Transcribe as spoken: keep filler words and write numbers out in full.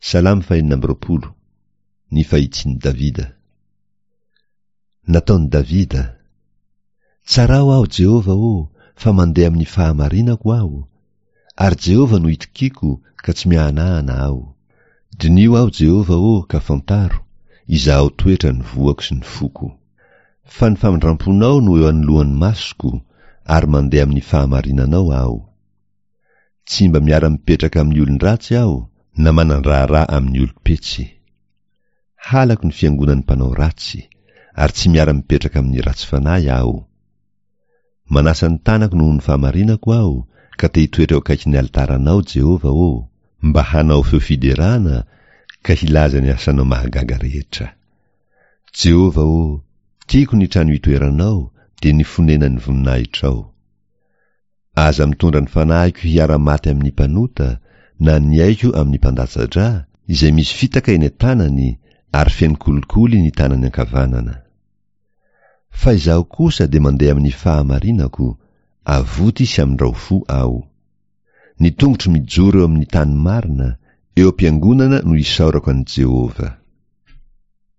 Salamo fahenina amby roapolo. Ny fahitsin'i Davida. Nataon'i Davida. Tsarao aho, Jehovah ô, fa mandeha amin'ny fahamarinako aho, ary Jehovah no itokiako ka tsy miahanahana aho. Diniho aho, Jehovah ô, ka fantaro, izahao toetra ny voako sy ny foko. Fa ny famindramponao no eo anoloan'ny masoko, ary mandeha amin'ny fahamarinanao aho. Tsy mba miara-mipetraka amin'ny olon-dratsy aho, na manan-draharaha amin'ny olom-petsy. Halako ny fiangonan'ny mpanao ratsy, ary tsy miara-mipetraka amin'ny ratsy fanahy aho. Manasa ny tanako noho ny fahamarinako aho, ka te hitoetra eo akaikin'ny alitaranao, Jehovah ô, mba hanao feo fiderana ka hilaza ny asanao mahagaga rehetra. Jehovah ô, tiako ny trano itoeranao, dia ny fonenan'ny voninahitrao. Aza mitondra ny fanahiko hiara-maty amin'ny mpanota, na ny aiko amin'ny mpandatsa-drà, izay misy fitaka eny an-tanany ary feno kolikoly ny tanany ankavanana. Fa izaho kosa dia mandeha amin'ny fahamarinako, avoty sy amindrao fo aho. Ny tongotro mijoro eo amin'ny tany marina, eo am-piangonana no isaorako an'i Jehovah.